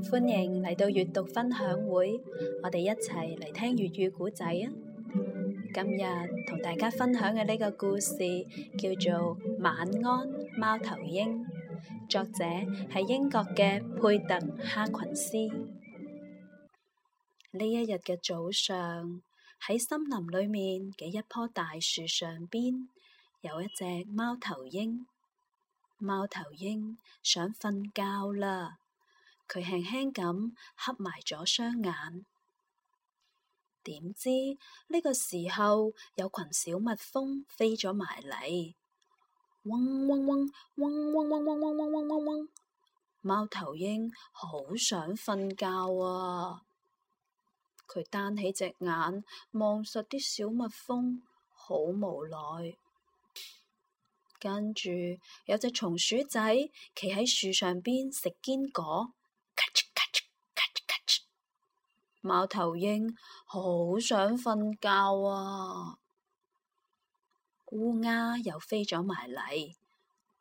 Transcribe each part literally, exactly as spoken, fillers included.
歡迎嚟到閱讀分享會，我哋一齊嚟聽粵語故仔啊！今日同大家分享嘅呢個故事叫做《晚安，貓頭鷹》，作者係英國嘅佩特·哈群斯。呢一日嘅早上，喺森林裏面嘅一棵大樹上邊，有一隻貓頭鷹。貓頭鷹想瞓覺啦。佢輕輕咁合埋咗雙眼，點知呢個時候有群小蜜蜂飛咗埋嚟，嗡嗡嗡嗡嗡嗡嗡嗡嗡嗡嗡嗡。貓頭鷹好想瞓覺啊！佢單起隻眼望實啲小蜜蜂，好無奈。跟住有隻松鼠仔企喺樹上邊食堅果。咔哧咔哧咔哧咔哧，貓頭鷹好想瞓覺啊！烏鴉又飛咗埋嚟，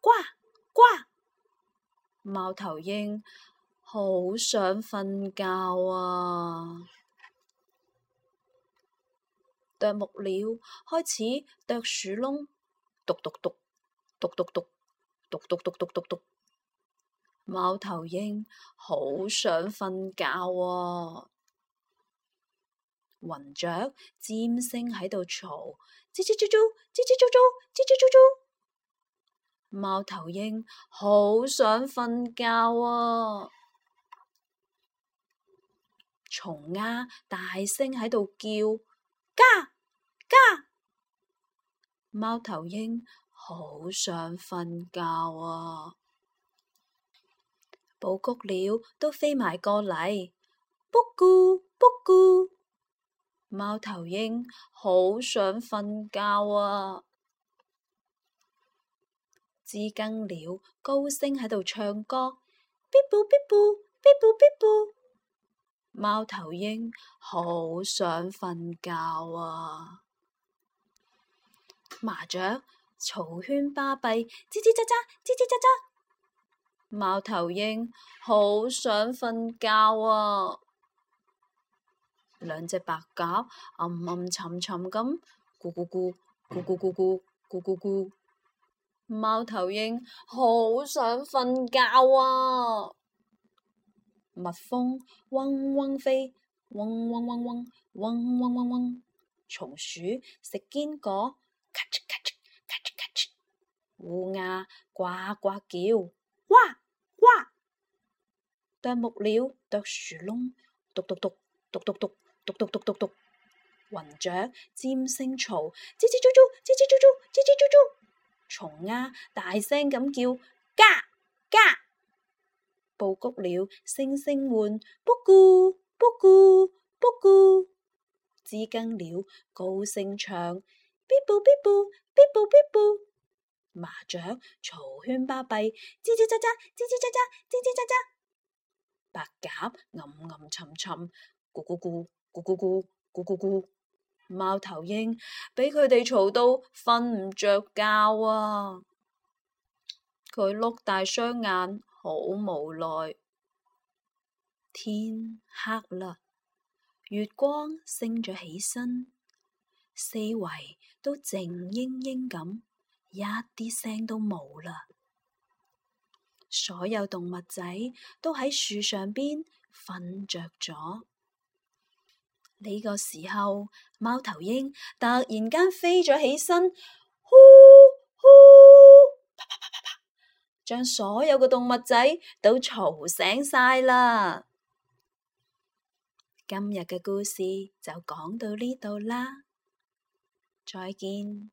呱呱！貓頭鷹好想瞓覺啊！啄木鳥開始啄樹窿，篤篤篤，篤篤篤，篤篤篤篤篤篤。貓頭鷹好想瞓覺啊！雲雀尖聲喺度嘈，吱吱啾啾，吱吱啾啾，吱吱啾啾。貓頭鷹好想瞓覺啊！蟲鴉大聲喺度叫，嘎嘎。貓頭鷹好想瞓覺啊！布谷鳥都飛埋過嚟，卜咕卜咕。貓頭鷹好想瞓覺啊！知更鳥高聲喺度唱歌，嗶啵嗶啵嗶啵嗶啵。貓頭鷹好想瞓覺啊！麻雀嘈喧巴閉，吱吱喳喳，吱吱喳喳。貓頭鷹好想瞓覺啊！兩隻白鴿暗暗沉沉咁咕咕咕咕咕咕咕咕咕咕。貓頭鷹好想瞓覺啊！蜜蜂嗡嗡飛，嗡嗡嗡嗡嗡嗡嗡嗡。松鼠食堅果，咔哧咔哧咔哧咔哧。烏鴉呱呱叫，哇哇！啄木鳥啄樹窿，篤篤篤篤篤篤篤篤篤篤篤。雲雀尖聲嘈，吱吱啾啾，吱吱啾啾，吱吱啾啾。蟲鴉大聲咁叫，嘎嘎。布谷鳥聲聲喚，卜咕卜咕卜咕。知更鳥高聲唱，嗶啵嗶啵嗶啵嗶啵。麻雀嘈喧巴閉，吱吱喳喳，吱吱喳喳，吱吱喳喳。白鴿暗暗沉沉，咕咕咕咕咕咕咕咕咕。貓頭鷹俾佢哋嘈到瞓唔着覺啊！佢碌大雙眼，好無奈。天黑啦，月光升咗起身，四圍都靜英英咁。一啲聲都冇啦，所有動物仔都喺樹上邊瞓着咗。呢個時候，貓頭鷹突然間飛咗起身，呼呼，啪啪啪啪啪，將所有嘅動物仔都嘈醒晒啦。今日嘅故事就講到呢度啦，再見。